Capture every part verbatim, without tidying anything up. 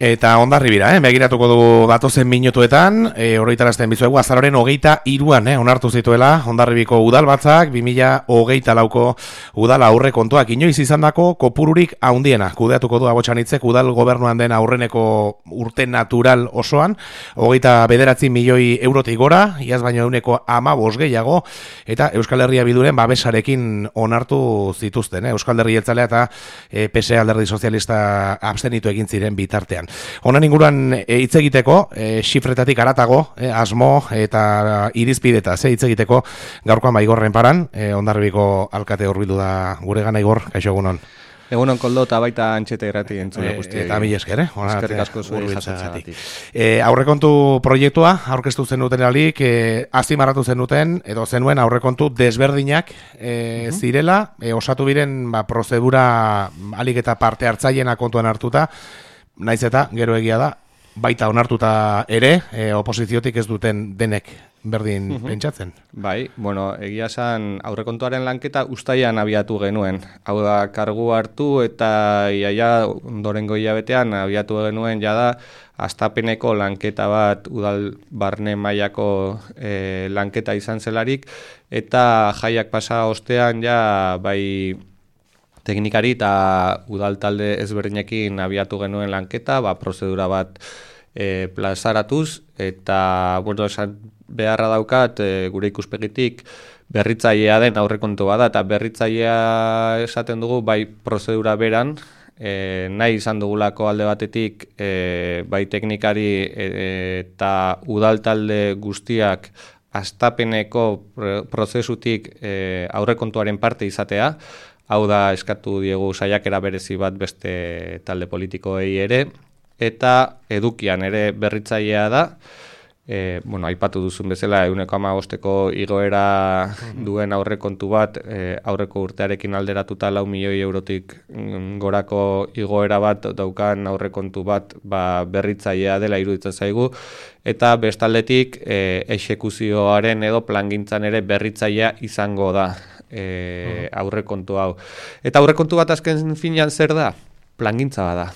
Eta Hondarribira, eh? Begiratuko du datozen minutuetan, e, horreitarazten bizuegu, azaroren hogeita iruan, eh? Onartu zituela, Hondarribiko udalbatzak, bi mila hogeita lauko udal aurre kontuak, inoiz izandako kopururik haundiena. Kudeatuko du Abotxanitzek udal gobernuan den aurreneko urte natural osoan, hogeita bederatzi milioi eurotik gora, iaz baino euneko amabos gehiago, eta Euskal Herria Bilduren babesarekin onartu zituzten, eh? Euskal Herria Jeltzalea eta e, P S E Alderdi Sozialista abstenitu egin ziren bitartean. Honen inguruan hitz e, egiteko, e, xifretatik aratago, e, asmo eta irizpidetaz e, hitz egiteko gaurkoan baigorren paran, e, Hondarribiko alkate hurbildu da gure gana Igor, kaixo egunon. Egunon Koldo eta baita Antxete irrati entzule guztiei. Eta mila esker, eh? Eskerrik asko zuen jasotzagatik. E, aurrekontu proiektua, aurkeztu zen duten alik, e, azpimarratu zen duten, edo zenuen aurrekontu desberdinak e, uh-huh. zirela, e, osatu biren ba, prozedura alik eta parte hartzaileena kontuan hartuta, naiz eta gero egia da, baita onartuta ere, e, oposiziotik ez duten denek berdin uh-huh. pentsatzen. Bai, bueno, egia esan aurrekontuaren lanketa uztailean abiatu genuen. Hau da, kargu hartu eta iaia ondorengo hilabetean abiatu genuen jada hastapeneko lanketa bat udal barne mailako e, lanketa izan zelarik, eta jaiak pasa ostean ja bai teknikari eta udal talde ezberdinekin abiatu genuen lanketa, ba, prozedura bat e, plazaratuz, eta bueno, esan beharra daukat e, gure ikuspegitik berritzailea den aurrekontu bada, eta berritzailea esaten dugu bai prozedura beran, e, nahi izan dugulako alde batetik e, bai teknikari e, eta udal talde guztiak hastapeneko prozesutik e, aurrekontuaren parte izatea. Hau da, eskatu diegu saiakera berezi bat beste talde politikoei ere, eta edukian ere berritzailea da, e, bueno, aipatu duzun bezala, ehuneko hamabosteko igoera duen aurrekontu bat, e, aurreko urtearekin alderatuta lau milioi eurotik gorako igoera bat daukan aurrekontu bat ba, berritzailea dela iruditzen zaigu, eta bestaldetik e, exekuzioaren edo plangintzan ere berritzailea izango da. E, aurrekontu hau. Eta aurrekontu bat azken finean zer da? Plangintza bada.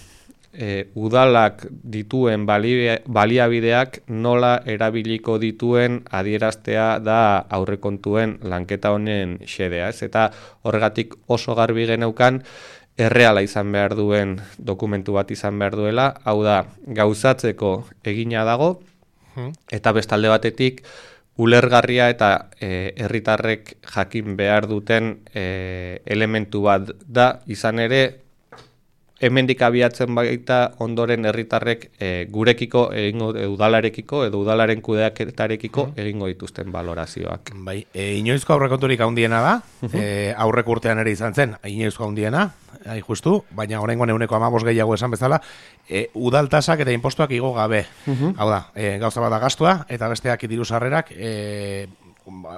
E, udalak dituen bali, baliabideak nola erabiliko dituen adieraztea da aurrekontuen lanketa honen xedea. Ez? Eta horregatik oso garbi geneukan erreala izan behar duen dokumentu bat izan behar duela, hau da gauzatzeko egina dago, eta bestalde batetik ulergarria eta herritarrek e, jakin behar duten e, elementu bat da, izan ere hemendik abiatzen baita ondoren herritarrek e, gurekiko egingo e, udalarekiko edo udalaren kudeaketarekiko egingo dituzten valorazioak. Bai, e, inoizko aurrekonturik handiena da, e, aurreko urtean ere izan zen, inoizko handiena, hai justu, baina oraingoan ehuneko hamabos gehiago esan bezala, e, udal tasak eta inpostuak igo gabe. Uh-huh. Hau da, e, gauza bat da gastua eta besteak diru sarrerak e,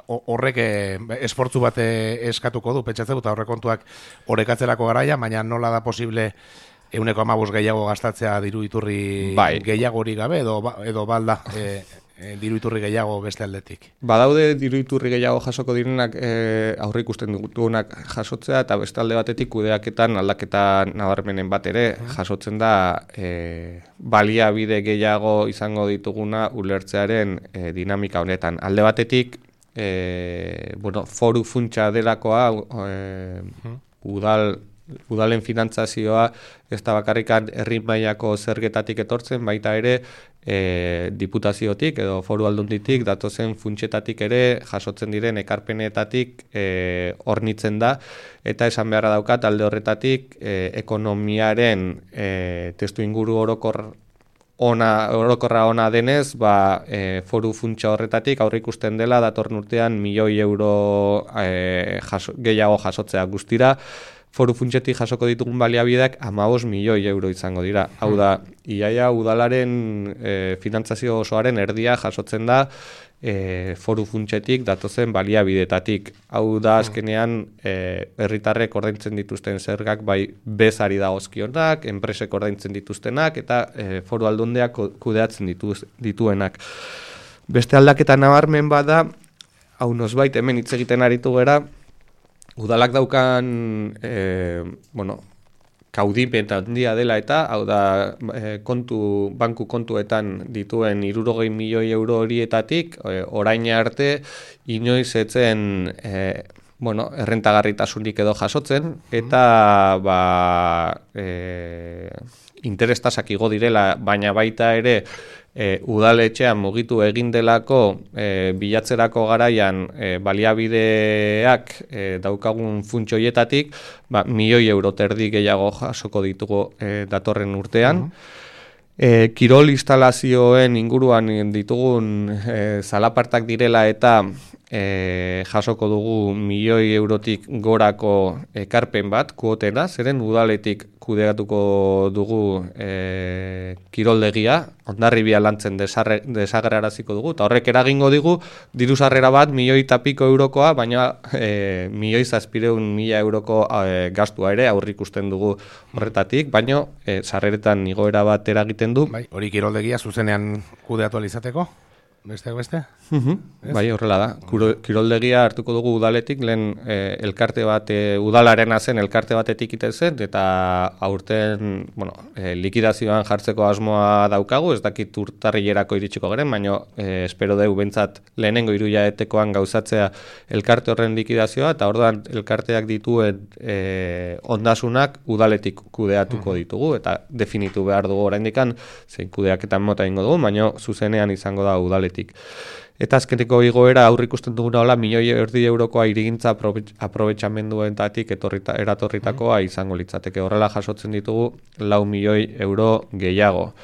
horrek e, esfortzu bat eskatuko du, pentsatzen eta aurrekontuak orekatzerako garaia, baina nola da posible ehuneko hamabos gehiago gastatzea diru iturri bai. gehiago hori gabe, edo, edo balda e, e, diru iturri gehiago beste aldetik. Badaude diru iturri gehiago jasoko direnak e, aurre ikusten dugunak jasotzea, eta beste alde batetik kudeaketan aldaketa nabarmenen bat ere jasotzen da e, baliabide gehiago izango dituguna ulertzearen e, dinamika honetan. Alde batetik E, bueno, foru funtsa delakoa e, udal, udalen finantzazioa ez da bakarrikan herri mailako zergetatik etortzen, baita ere e, diputaziotik edo foru aldunditik datozen funtsetatik ere jasotzen diren ekarpenetatik e, hornitzen da, eta esan beharra daukat alde horretatik e, ekonomiaren e, testu inguru orokor Ona, orokorra ona denez, ba, e, foru funtsa horretatik aurre ikusten dela datorren urtean milioi euro e, jaso, gehiago jasotzea guztira. Foru funtsetik jasoko ditugun baliabideak hamabost milioi euro izango dira. Hau da, iaia udalaren e, finantzazio osoaren erdia jasotzen da e, foru funtsetik datozen baliabidetatik. Hau da azkenean e, herritarrek ordaintzen dituzten zergak bai bezari dagozkionak, enpresek ordaintzen dituztenak eta e, foru aldundeak kudeatzen dituz, dituenak. Beste aldaketa nabarmen bada, hau nosbait hemen hitz egiten aritu gera, udalak daukan e, bueno, kaudimen handia dela eta, hau da, e, kontu, banku kontuetan dituen hirurogei milioi euro horietatik, e, orain arte, inoiz etzen, e, bueno, errentagarritasunik edo jasotzen, eta, ba, e, interestasak igo direla, baina baita ere, E, udaletxean mugitu egin delako e, bilatzerako garaian e, baliabideak e, daukagun funtsoietatik, ba, milioi euro terdi gehiago jasoko ditugu e, datorren urtean. Uh-huh. E, kirol instalazioen inguruan ditugun e, zalapartak direla eta e, jasoko dugu milioi eurotik gorako ekarpen bat, kuotena, zeren udaletik kudeatuko dugu e, kiroldegia, Hondarribia lantzen desagerraraziko dugu, eta horrek eragingo digu, diru sarrera bat milioi eta piko eurokoa, baina e, milioi zazpireun mila euroko e, gastua ere aurrikusten dugu horretatik, baina e, sarreretan igoera bat eragiten du. Bai, hori kiroldegia zuzenean kudeatu alizateko? Besteak beste? Uh-huh. Bai, horrela da. Kuro, kiroldegia hartuko dugu udaletik, lehen e, elkarte bat, e, udalarena zen elkarte batetik iten zen, eta aurten, bueno, e, likidazioan jartzeko asmoa daukagu, ez dakit urtarrilerako iritsiko geren, baina e, espero dugu bentsat lehenengo hiruhilabetekoan gauzatzea elkarte horren likidazioa, eta orduan elkarteak dituen e, ondasunak udaletik kudeatuko uh-huh. ditugu, eta definitu behar dugu oraindikan zein kudeaketan mota ingo dugu, baina zuzenean izango da udaletik. Eta azkeneko igoera aurrikusten duguna hola milioi erdi eurokoa irigintza aprobetxamenduentatik etorrita, eratorritakoa izango litzateke. Horrela jasotzen ditugu lau milioi euro gehiago.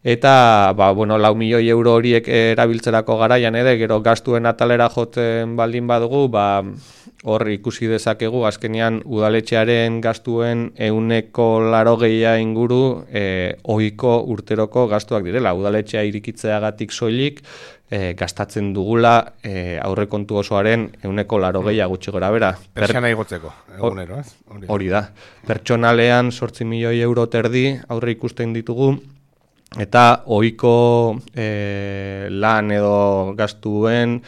Eta, ba, bueno, lau milioi euro horiek erabiltzerako garaian ere, gero gastuen atalera jotzen baldin badugu, ba, hor ikusi dezakegu, azkenean udaletxearen gastuen ehuneko laurogeia inguru e, ohiko urteroko gastuak direla. Udaletxea irikitzeagatik soilik, E, gastatzen dugula e, aurrekontu osoaren ehuneko laurogeia gutxi gora bera. Pertsiana igotzeko, egunero, ez? Hori, hori da. Pertsonalean zortzi milioi euro terdi aurre ikusten ditugu, eta ohiko e, lan edo gastuen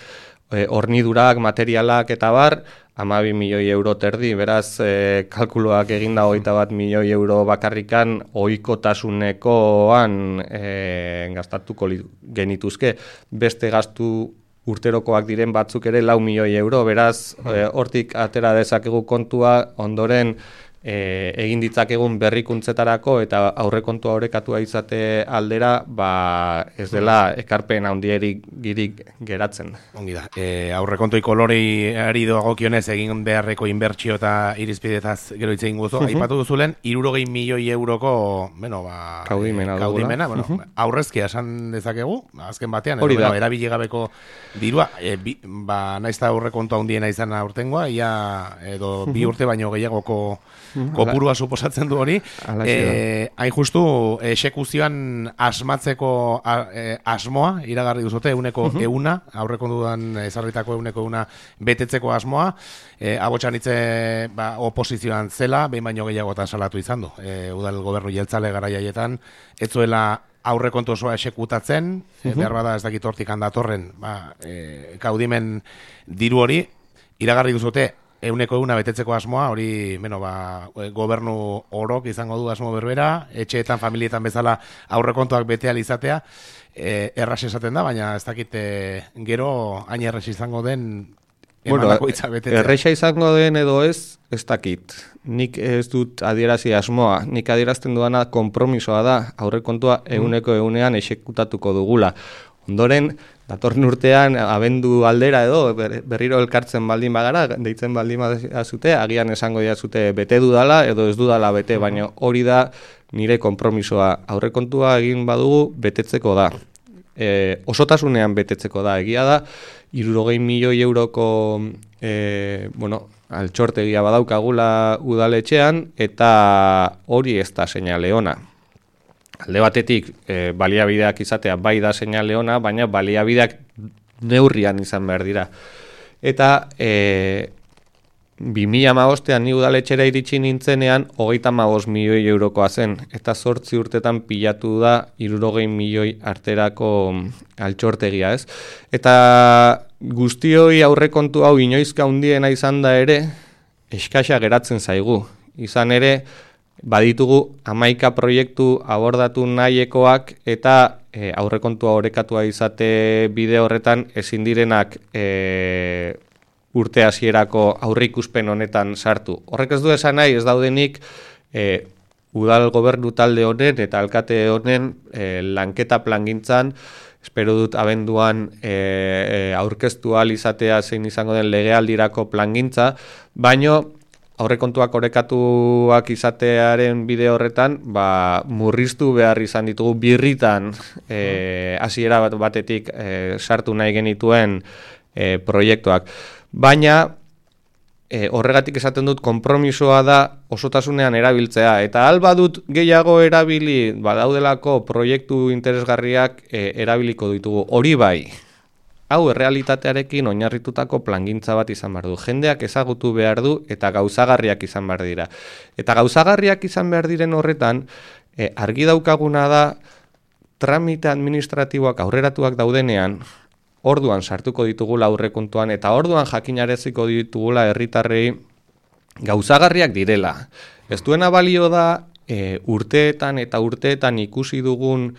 e, hornidurak, materialak eta bar, hamabi milioi euro terdi, beraz, e, kalkuloak eginda hogeita bat milioi euro bakarrikan ohikotasunekoan e, gastatuko genituzke. Beste gastu urterokoak diren batzuk ere lau milioi euro, beraz, e, hortik atera dezakegu kontua ondoren E, egin ditzakegun berrikuntzetarako eta aurrekontua orekatua izate aldera, ba, ez dela ekarpen handierik girik geratzen. Ongi da. E, aurrekontoi kolorei dagokionez egin beharreko inbertsio eta irizpidetaz gero hitz egin guzu. Uh-huh. Aipatu duzulen hirurogei milioi euroko, bueno, ba, kaudimena, e, kaudimena bueno, uh-huh. aurrezkia esan dezakegu, azken batean, edo, bueno, erabili gabeko dirua, e, bi, ba, naizta aurrekontua handiena izan aurtengoa, ia edo uh-huh. bi urte baino gehiagoko kopurua suposatzen du hori. Eh, hain justu esekuzioan asmatzeko a, e, asmoa iragarri duzute euneko uh-huh. euna, aurrekontuan ezarritako euneko euna betetzeko asmoa. Eh, abotsan hitze ba, oposizioan zela, behin baino gehiagotan salatu izan du. Eh, udal gobernu jeltzale garaiaietan ez zuela aurrekontu osoa esekutatzen, uh-huh. e, behar bada ez dakit hortik handatorren, ba, e, kaudimen diru hori iragarri duzute euneko euna betetzeko asmoa, hori, bueno, ba, gobernu orok izango du asmo berbera, etxeetan, familietan bezala aurrekontuak betea izatea, e, erraz esaten da, baina ez dakit e, gero hain erraz izango den emanako hitza betetzea. Erresa izango den edo ez, ez dakit. Nik ez dut adierazi asmoa, nik adierazten duana konpromisoa da, aurrekontua euneko eunean esekutatuko dugula. Ondoren, datorren urtean, abendu aldera edo, berriro elkartzen baldin bagara, deitzen baldin badazute, agian esango dazute bete dudala edo ez dudala bete, baina hori da nire konpromisoa. Aurrekontua egin badugu betetzeko da. E, osotasunean betetzeko da, egia da, hirurogei milioi euroko e, bueno, altxortegia badaukagula udaletxean, eta hori ez da seinale ona. Alde batetik, e, baliabideak izatea bai da seinale ona, baina baliabideak neurrian izan behar dira. Eta e, bi mila hamabostean ni udaletxera iritsi nintzenean hogeita hamabost milioi eurokoa zen, eta zortzi urtetan pilatu da hirurogei milioi arterako altxortegia, ez? Eta guztioi aurrekontu hau inoizka handiena izan da ere, eskasa geratzen zaigu. Izan ere, baditugu hamaika proiektu abordatu nahiekoak eta e, aurrekontua orekatua izate bide horretan ezin direnak e, urte hasierako aurreikuspen honetan sartu. Horrek ez du esan nahi, ez daudenik e, udal gobernu talde honen eta alkate honen e, lanketa plangintzan, espero dut abenduan e, e, aurkeztu ahal izatea zein izango den legealdirako plangintza, baino aurrekontuak orekatuak izatearen bide horretan, ba, murriztu behar izan ditugu birritan e, hasiera bat batetik e, sartu nahi genituen e, proiektuak. Baina e, horregatik esaten dut konpromisoa da osotasunean erabiltzea, eta alba dut gehiago erabili badaudelako proiektu interesgarriak e, erabiliko ditugu. Hori bai, hau errealitatearekin oinarritutako plangintza bat izan behar du. Jendeak ezagutu behar du eta gauzagarriak izan behar dira. Eta gauzagarriak izan behar diren horretan, e, argi daukaguna da tramite administratiboak aurreratuak daudenean, orduan sartuko ditugula aurrekontuan eta orduan jakinareziko ditugula herritarrei gauzagarriak direla. Ez duena balio da e, urteetan eta urteetan ikusi dugun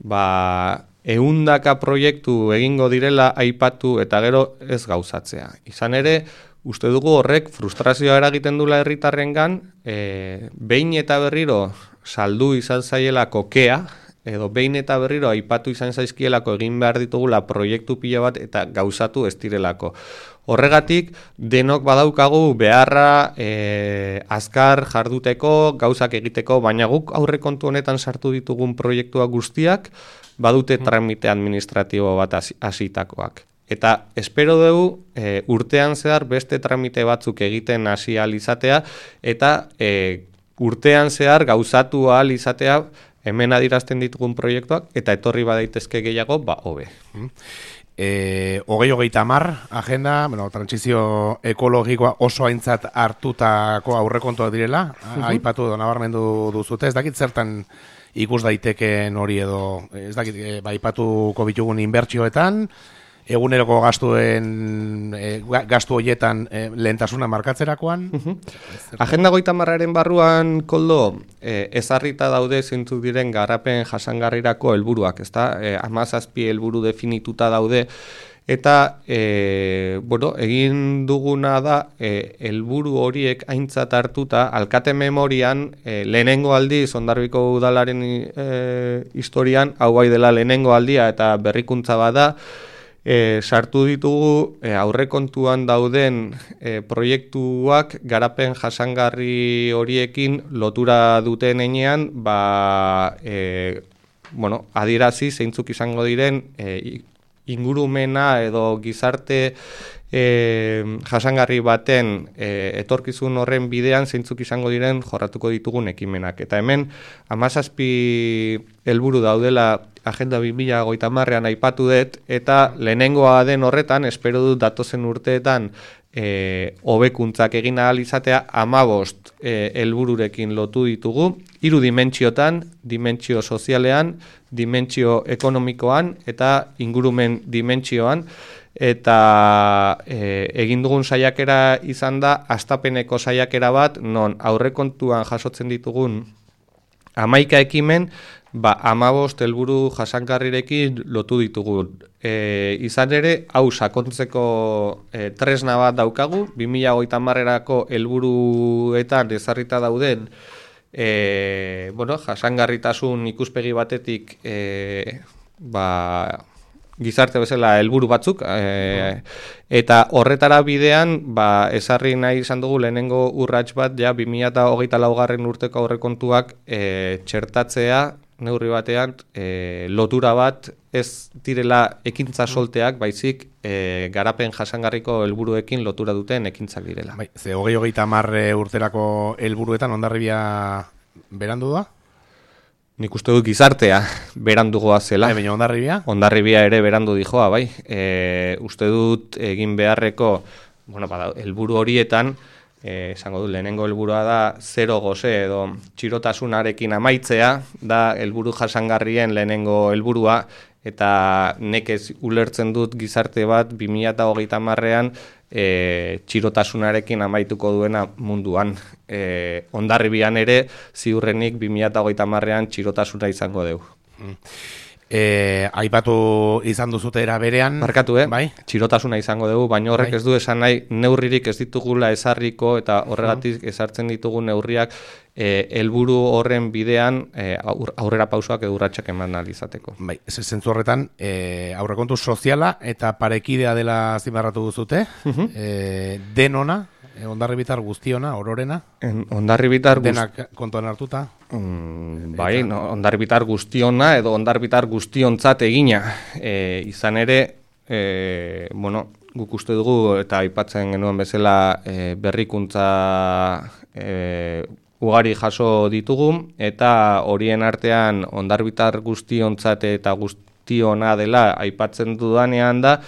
ba, ehundaka proiektu egingo direla aipatu eta gero ez gauzatzea. Izan ere, uste dugu horrek frustrazioa eragiten dula herritarrengan, e, behin eta berriro saldu izan zaielako kea, edo behin eta berriro aipatu izan zaizkielako egin behar ditugula proiektu pila bat eta gauzatu ez direlako. Horregatik, denok badaukagu beharra e, azkar jarduteko, gauzak egiteko, baina guk aurrekontu honetan sartu ditugun proiektua guztiak, badute tramite administratibo bat hasitakoak. Eta espero dugu e, urtean zehar beste tramite batzuk egiten hasi ahal izatea, eta e, urtean zehar gauzatu ahal izatea hemen adirazten ditugun proiektuak, eta etorri badaitezke gehiago, ba, hobe. E, hogei hogeita hamar agenda, bueno, trantsizio ekologikoa oso aintzat hartutako aurrekontuak direla, uh-huh. aipatu edo nabarmendu duzute, ez dakit zertan ikus daiteken hori edo, ez dakit, e, ba, aipatuko bitugun inbertsioetan, eguneroko gastuen e, gastu horietan e, lehentasuna markatzerakoan. Uh-huh. Agenda goita marraren barruan, Koldo, e, ezarrita daude zeintzuk diren garapen jasangarrirako helburuak, ezta? E, hamazazpi helburu definituta daude, eta e, bueno, egin duguna da e, helburu horiek aintzat hartuta, alkate memorian, e, lehenengo aldiz Hondarribiko udalaren e, historian, hau bai dela lehenengo aldia eta berrikuntza bada, E, sartu ditugu e, aurrekontuan dauden e, proiektuak garapen jasangarri horiekin lotura duten enean, ba, e, bueno, adierazi zeintzuk izango diren e, ingurumena edo gizarte e, jasangarri baten e, etorkizun horren bidean zeintzuk izango diren jorratuko ditugun ekimenak. Eta hemen hamazazpi helburu daudela Agenda bi mila hogeita hamarrean aipatu dut, eta lehenengoa den horretan, espero dut datozen urteetan e, hobekuntzak egin ahal izatea, hamabost e, helbururekin lotu ditugu, hiru dimentsiotan, dimentsio sozialean, dimentsio ekonomikoan eta ingurumen dimentsioan, eta e, egin dugun saiakera izan da hastapeneko saiakera bat, non aurrekontuan jasotzen ditugun hamaika ekimen, ba, hamabost helburu jasangarrirekin lotu ditugu. E, izan ere, hau sakontzeko e, tresna bat daukagu, bi mila hogeita hamarerako helburuetan ezarrita dauden e, bueno, jasangarritasun ikuspegi batetik e, ba, gizarte bezala helburu batzuk, e, eta horretara bidean ba, ezarri nahi izan dugu lehenengo urrats bat, ja bi mila hogeita laugarren urteko aurrekontuak e, txertatzea, neurri batean, e, lotura bat ez direla ekintza solteak, baizik e, garapen jasangarriko helburuekin lotura duten ekintzak direla. Bai, ze hogei hogeita hamar urterako helburuetan Hondarribia berandu da? Nik uste dut gizartea berandugoa zela. E, baina Hondarribia? Hondarribia ere berandu dijoa, bai. E, uste dut egin beharreko, bueno, bada, helburu horietan, Eh, esango dut, lehenengo helburua da zero gose edo txirotasunarekin amaitzea, da helburu jasangarrien lehenengo helburua, eta nekez ulertzen dut gizarte bat bi mila hogeita hamarrean e, txirotasunarekin amaituko duena munduan. E, Hondarribian ere, ziurrenik bi mila hogeita hamarrean txirotasuna izango dugu. Mm. E, aipatu izan duzute era berean. Markatu, eh? Bai? Txirotasuna izango dugu, baina horrek bai. Ez du esan nahi neurririk ez ditugula ezarriko eta horregatik ezartzen ditugu neurriak e, helburu horren bidean e, aurrera pausoak edo urratsak eman ahal izateko. Bai, ez zentzu horretan e, aurrekontu soziala eta parekidea dela azpimarratu duzute, uh-huh. e, denona, Hondarribitar guztiona, ororena? Hondarribitar guztiona. Denak kontuan hartuta? Mm, bai, no, Hondarribitar guztiona edo Hondarribitar guztiontzat egina. E, izan ere, e, bueno, guk uste dugu eta aipatzen genuen bezala e, berrikuntza e, ugari jaso ditugu eta horien artean Hondarribitar guztiontzat eta guztiona dela aipatzen dudanean da,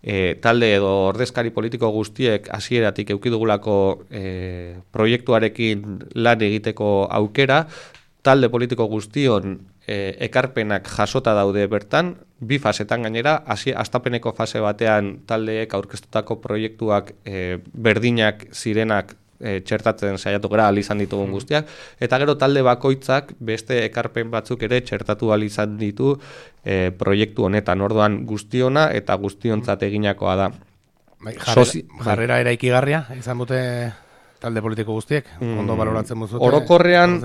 E, talde edo ordezkari politiko guztiek hasieratik eduki dugulako e, proiektuarekin lan egiteko aukera, talde politiko guztion e, ekarpenak jasota daude bertan, bi fasetan gainera, hasi hastapeneko fase batean taldeek aurkeztutako proiektuak e, berdinak zirenak e, txertatzen saiatu gara ahal izan ditugun guztiak, eta gero talde bakoitzak beste ekarpen batzuk ere txertatu ahal izan ditu E, proiektu honetan, orduan guztiona eta guztiontzat eginakoa da. Bai, jarrera, Sozi... jarrera eraikigarria izan dute talde politiko guztiek, mm, ondo baloratzen duzute. Orokorrean,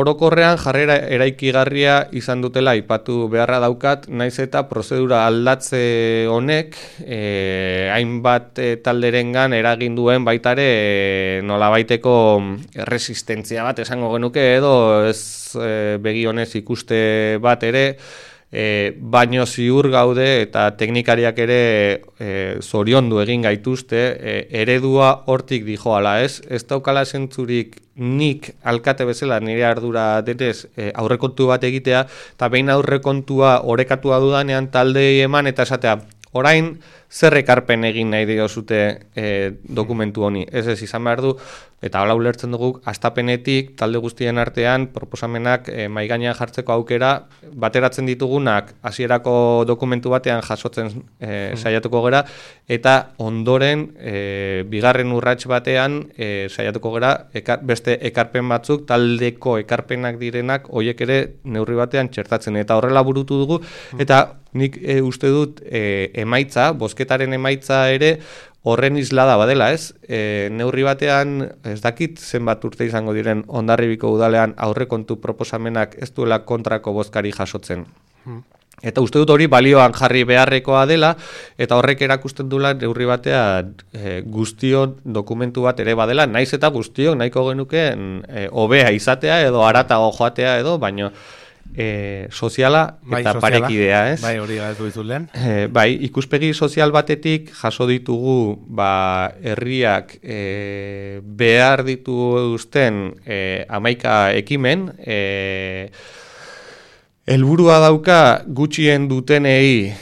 orokorrean jarrera eraikigarria izan dutela aipatu beharra daukat, naiz eta prozedura aldatze honek e, hainbat e, talderengan eragin duen baitare e, nolabaiteko erresistentzia bat esango genuke edo ez e, begionez ikuste bat ere, E, baino ziur gaude eta teknikariak ere e, zoriondu egin gaituzte, e, eredua hortik dijoala, ez? Ez daukala zentzurik nik alkate bezala nire ardura denez e, aurrekontu bat egitea, eta behin aurrekontua orekatua dudanean taldei eman eta esatea, orain zer ekarpen egin nahi diozute e, dokumentu honi. Ez ez izan behar du, eta hala ulertzen dugu, hastapenetik talde guztien artean proposamenak e, maigainean jartzeko aukera, bateratzen ditugunak hasierako dokumentu batean jasotzen e, saiatuko gera, eta ondoren e, bigarren urrats batean e, saiatuko gera ekar, beste ekarpen batzuk, taldeko ekarpenak direnak, hoiek ere neurri batean txertatzen, eta horrela burutu dugu, eta nik e, uste dut e, emaitza, bozketaren emaitza ere horren islada badela, ez? E, neurri batean, ez dakit zenbat urte izango diren Hondarribiko udalean aurrekontu proposamenak ez duela kontrako bozkari jasotzen. Hmm. Eta uste dut hori balioan jarri beharrekoa dela, eta horrek erakusten duela neurri batean e, guztion dokumentu bat ere badela, naiz eta guztiok nahiko genukeen e, hobea izatea edo haratago joatea edo, baino E, soziala bai, eta soziala, parekidea, ez? Bai, hori gaitu dizut e, bai, ikuspegi sozial batetik jaso ditugu ba, herriak e, behar dituzten e, hamaika ekimen, e, helburua dauka gutxien dutenei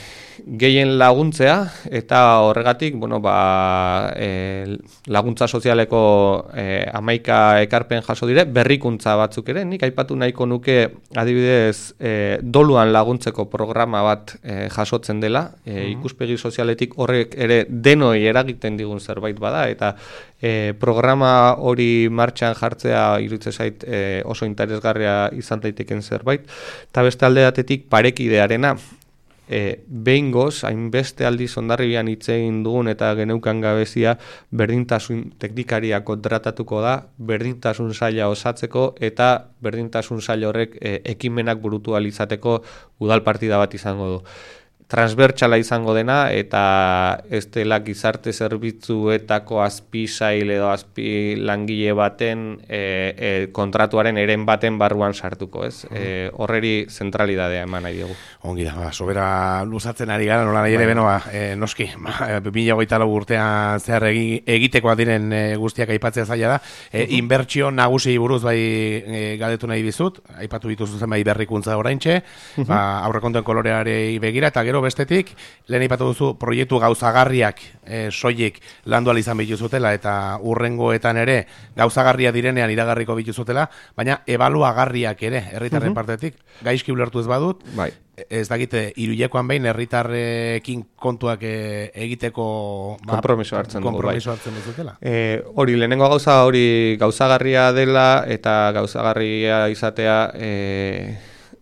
gehien laguntzea, eta horregatik, bueno, ba, e, laguntza sozialeko e, hamaika ekarpen jaso dire, berrikuntza batzuk ere, nik aipatu nahiko nuke adibidez e, doluan laguntzeko programa bat e, jasotzen dela, e, ikuspegi sozialetik horrek ere denoi eragiten digun zerbait bada, eta e, programa hori martxan jartzea iruditzen zait e, oso interesgarria izan daiteken zerbait, eta beste alde batetik parekidearena, E, behingoz, hainbeste aldiz Hondarribian hitz egin dugun eta geneukan gabezia berdintasun teknikaria kontratatuko da, berdintasun saila osatzeko eta berdintasun saila horrek e, ekimenak burutu ahal izateko udal partida bat izango du. Transbertsala izango dena eta ez dela gizarte zerbitzuetako azpi sail edo azpi langile baten e, e, kontratuaren eren baten barruan sartuko, ez? E, horreri zentralidadea eman nahi dugu. Ongi da, ba, sobera luzatzen ari gara, nola nahi ere benoa, e, noski, bi mila hogeita lau urtean zehar egi, egitekoa diren e, guztiak aipatzea zaila da. E, inbertsio nagusi buruz bai e, galdetu nahi bizut, aipatu dituzu zen bai berrikuntza oraintxe, ba, aurrekontuen kolorearei begira, eta gero gero bestetik, lehen ipatu duzu proiektu gauzagarriak e, soilik landu ahal izan bituzutela eta urrengoetan ere gauzagarria direnean iragarriko bituzutela, baina ebaluagarriak ere herritarren uh-huh. partetik, gaizki ulertu ez badut, bai. Ez dakite, iruilekoan behin herritarrekin kontuak e, egiteko ba, kompromiso hartzen dugu, bai. hartzen duzutela. E, hori, lehenengo gauza hori gauzagarria dela eta gauzagarria izatea e,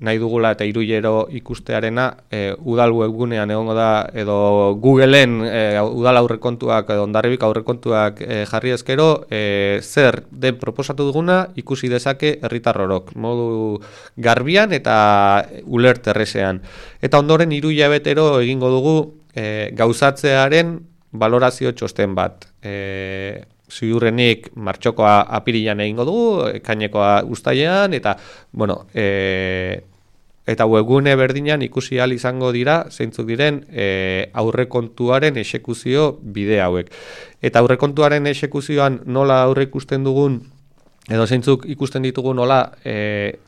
nahi dugula eta iruilero ikustearena e, udal webgunean egongo da edo Googleen e, udal aurrekontuak edo Hondarribiko aurrekontuak e, jarri ezkero e, zer den proposatu duguna ikusi dezake herritar orok modu garbian eta ulert errezean. Eta ondoren hiru hilabetero egingo dugu e, gauzatzearen valorazio txosten bat. E, ziurrenik martxokoa apirilan egingo dugu, ekainekoa uztailean eta bueno, e, eta webgune berdinan ikusi ahal izango dira zeintzuk diren e, aurrekontuaren exekuzio bide hauek. Eta aurrekontuaren exekuzioan nola aurre ikusten dugun edo zeintzuk ikusten ditugu nola e,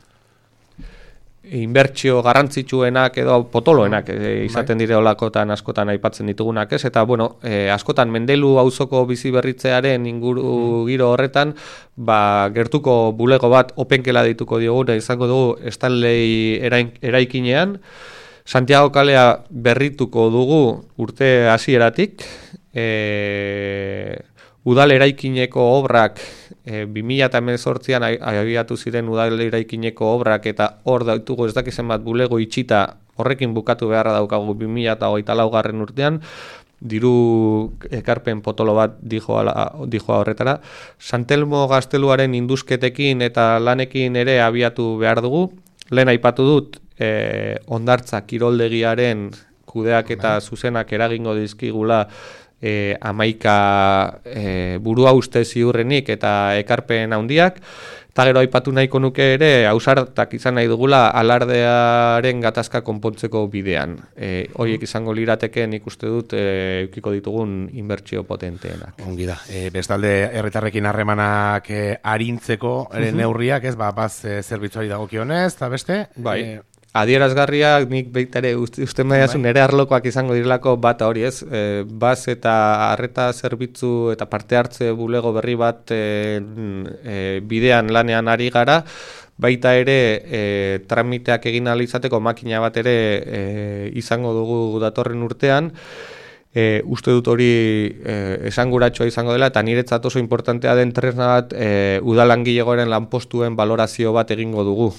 inbertsio garrantzitsuenak edo potoloenak e, izaten dire olakotan askotan aipatzen ditugunak, ez? Eta bueno, e, askotan Mendelu auzoko bizi berritzearen inguru giro horretan, ba, gertuko bulego bat openkela dituko dioguna izango dugu Stanley eraikinean. Santiago kalea berrituko dugu urte hasieratik. E, udal eraikineko obrak e, bi mila hemezortzian abiatu ziren udal eraikineko obrak eta hor ditugu ez dakizen bat bulego itxita horrekin bukatu beharra daukagu bi mila hogeita laugarren urtean, diru ekarpen potolo bat dijoa, dijoa horretara. Santelmo gazteluaren induzketekin eta lanekin ere abiatu behar dugu. Lehen aipatu dut e, hondartza kiroldegiaren kudeak eta zuzenak eragingo dizkigula E, amaika e, burua uste ziurrenik eta ekarpen handiak, eta gero aipatu nahiko nuke ere ausartak izan nahi dugula alardearen gatazka konpontzeko bidean. E, horiek izango lirateke nik uste dut e, eukiko ditugun inbertsio potenteenak. Ongi da, e, bestalde herritarrekin harremanak e, arintzeko ere uh-huh. neurriak, ez, ba, baz e, zerbitzuari dagokionez, eta beste? Bai. E, Adierazgarriak nik baita ere uste, uste maiazu nere arlokoak izango direlako bat hori, ez? E, baz eta arreta zerbitzu eta parte hartze bulego berri bat e, e, bidean lanean ari gara, baita ere e, tramiteak egin ahal izateko makina bat ere e, izango dugu datorren urtean. E, uste dut hori e, esanguratsua izango dela eta niretzat oso importantea den tresna bat e, udalangilegoaren lanpostuen valorazio bat egingo dugu.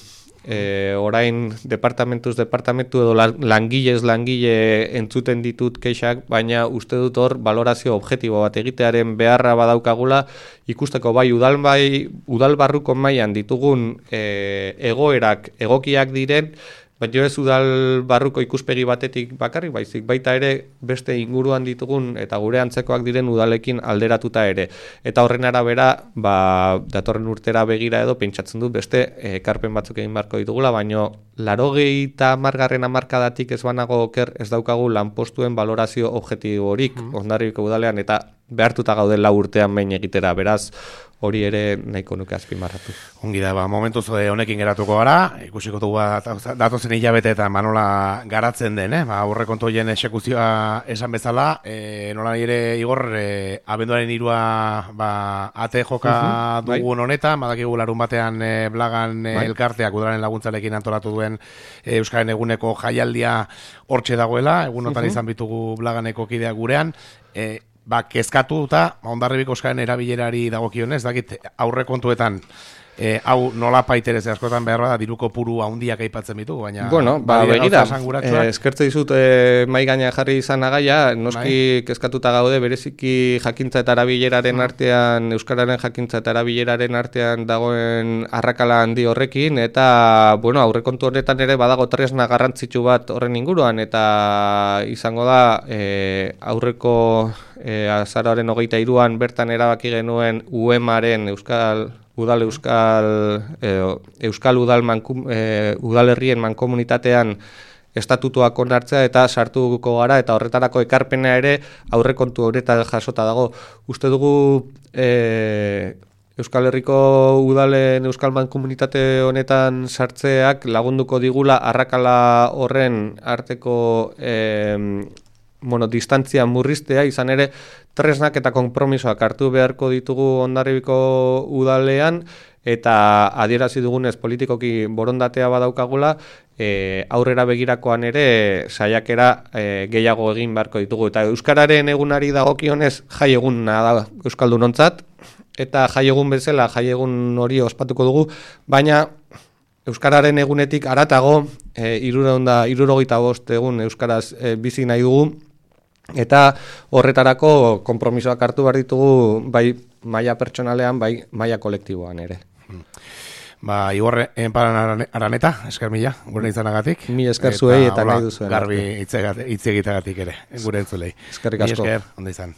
E, orain departamentuz departamentu edo langilez langile entzuten ditut kexak, baina uste dut hor valorazio objektibo bat egitearen beharra badaukagula ikusteko bai udal bai udalbarruko mailan ditugun e, egoerak egokiak diren, baina ez udal barruko ikuspegi batetik bakarrik, baizik baita ere beste inguruan ditugun eta gure antzekoak diren udalekin alderatuta ere. Eta horren arabera, ba, datorren urtera begira edo pentsatzen dut beste ekarpen batzuk egin beharko ditugula, baina laurogeita hamargarren hamarkadatik ez banago oker ez daukagu lanpostuen valorazio objektiborik mm. Hondarribiko udalean eta behartuta gaude lau urtean behin egitera, beraz hori ere nahiko nuke azpimarratu. Ongi da, ba, momentuz honekin geratuko gara, ikusiko dugu datozen hilabeteetan ba, nola garatzen den, eh? Ba, aurrekontu horien exekuzioa esan bezala, e, nola ere Igor, e, abenduaren hirua ba, ate joka uh-huh, dugun bai. Honetan, badakigu larun batean e, Blagan e, bai. Elkarteak udalaren laguntzalekin antolatu duen e, Euskaren eguneko jaialdia hortxe dagoela, egunotan uh-huh. izan bitugu Blaganeko kideak gurean, e, ba, kezkatu eta Hondarribiko Euskararen erabilerari dagokionez, dakit aurrekontuetan e, hau nola paiterez askotan behar bada diruko puru handiak aipatzen ditugu, baina bueno, ba, begira, eh, eskertze dizut eh, mai gaina jarri izan agaia, noski bai. Kezkatuta gaude, bereziki jakintza eta erabileraren artean, Euskararen jakintza eta erabileraren artean dagoen arrakala handi horrekin, eta bueno, aurrekontu horretan ere badago tresna garrantzitsu bat horren inguruan, eta izango da eh, aurreko eh, azaroaren hogeita hiruan bertan erabaki genuen U E M-aren Euskal Udal Euskal eh, Euskal Udal mankum, eh, udalerrien mankomunitatean estatutuak onartzea eta sartuko gara eta horretarako ekarpena ere aurrekontu horretan jasota dago. Uste dugu eh, Euskal Herriko udalen Euskalman komunitate honetan sartzeak lagunduko digula arrakala horren arteko eh, bueno, distantzia murriztea, izan ere tresnak eta konpromisoak hartu beharko ditugu Hondarribiko udalean, eta adierazi dugunez politikoki borondatea badaukagula, e, aurrera begirakoan ere saiakera e, gehiago egin beharko ditugu. Eta Euskararen egunari dagokionez jai eguna da Euskaldunontzat, eta jai egun bezala jai egun hori ospatuko dugu, baina Euskararen egunetik haratago e, hirurogeita bost egun Euskaraz e, bizi nahi dugu, eta horretarako konpromisoak hartu behar ditugu bai maila pertsonalean, bai maila kolektiboan ere. Ba, Igor Enparan Araneta, esker mila, gure izanagatik. Mi esker zuei eta nahi duzuen. Garbi hitz egiteagatik ere, gure entzulei. Eskerrik asko. Mi esker, ondo izan.